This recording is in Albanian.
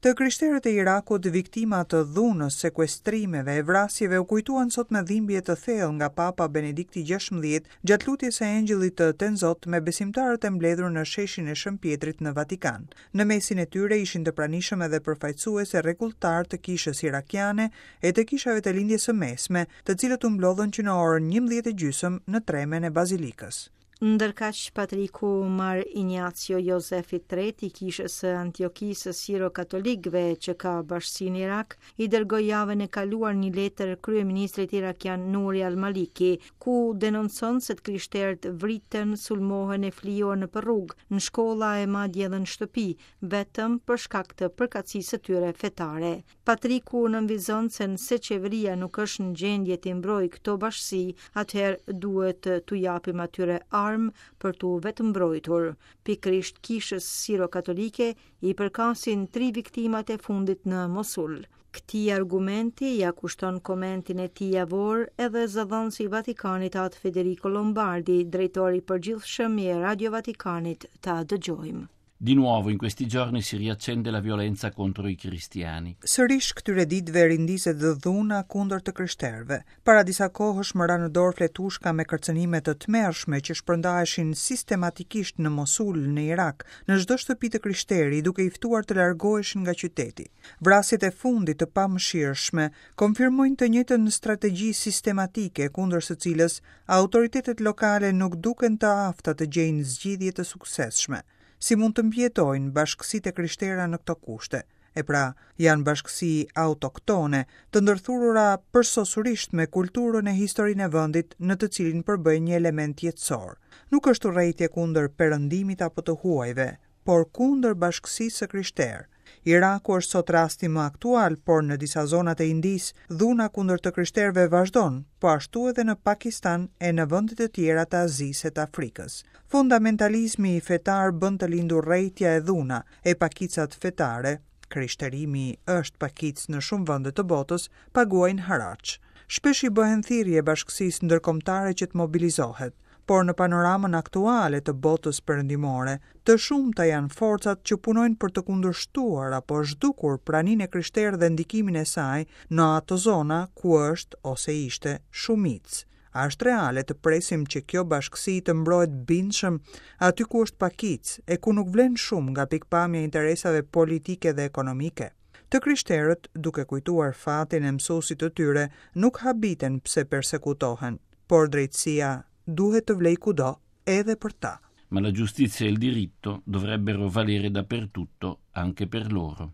Të krishterët e Irakut, viktima të dhunës, sekuestrimeve e vrasjeve u kujtuan sot me dhimbje të thellë nga Papa Benedikti XVI gjatë lutjes së Engjëllit të Tenzot me besimtarët e mbledhur në sheshin e Shën Pjetrit në Vatikan. Në mesin e tyre ishin të pranishëm edhe përfaqësues e rregulltarë të kishës irakiane e të kishave të Lindjes së Mesme, të cilët u mblodhën që në orën 11 e gjysmë në tremen e Bazilikës. Ndërkaq, patriku Mar Injacio Jozef i Tretë i Kishës së Antiokisë së Siro-Katolikëve që ka bashkësi në Irak, i dërgoi javën e kaluar një letër kryeministrit irakian Nuri al-Maliki, ku denoncon se të krishterët vriten, sulmohen e flijohen nëpër rrugë, në shkolla e madje edhe në shtëpi, vetëm për shkak të përkatësisë së tyre fetare. Patriku nënvizon se nëse qeveria nuk është në gjendje t'i mbrojë këto bashkësi, atëherë duhet t'u japim atyre armë për t'u vetëmbrojtur. Pikërisht kishës siro-katolike i përkasin tri viktimat e fundit në Mosul. Këtij argumenti ia kushton komentin e tij javor edhe zëdhënësi i Vatikanit Atë Federico Lombardi, drejtor i përgjithshëm i Radio Vatikanit, ta dëgjojmë. Di nuovo in questi giorni si riaccende la violenza contro i cristiani. Sërish këtyre ditëve rindizet dhuna kundër të krishterëve. Para disa kohësh më ra në dorë fletushka me kërcënime të tmerrshme që shpërndaheshin sistematikisht në Mosul, në Irak, në çdo shtëpi të krishteri, duke i ftuar të largoheshin nga qyteti. Vrasjet e fundit të pamëshirshme konfirmojnë të njëjtën strategji sistematike kundër së cilës autoritetet lokale nuk duken të afta të gjejnë zgjidhje të suksesshme. Si mund të mbijetojnë bashkësitë e krishtera në këto kushte? E pra, janë bashkësi autoktone, të ndërthurura përsosurisht me kulturën e historinë e vendit në të cilin përbëjnë një element jetësor. Nuk është urrejtje kundër perëndimit apo të huajve, por kundër bashkësisë së krishterë. Iraku është sot rasti më aktual, por në disa zona të Indisë, dhuna kundër të krishterëve vazhdon, po ashtu edhe në Pakistan e në vende të tjera të Azisë e të Afrikës. Fundamentalizmi fetar bën të lindë urrejtja e dhuna, e pakicat fetare, krishterimi është pakicë në shumë vende të botës, paguajnë haraç. Shpesh i bëhen thirrje bashkësisë ndërkombëtare që të mobilizohet. Por në panoramën aktuale të botës perëndimore, të shumta janë forcat që punojnë për të kundërshtuar apo zhdukur praninë e krishterë dhe ndikimin e saj në ato zona ku është ose ishte shumicë. A është reale të presim që kjo bashkësi të mbrohet bindshëm aty ku është pakicë e ku nuk vlen shumë nga pikëpamja e interesave politike dhe ekonomike? Të krishterët, duke kujtuar fatin e mësuesit të tyre, nuk habiten pse persekutohen, por drejtësia duhet të vlejë kudo, edhe për ta. Ma la giustizia e il diritto dovrebbero valere dappertutto, anche per loro.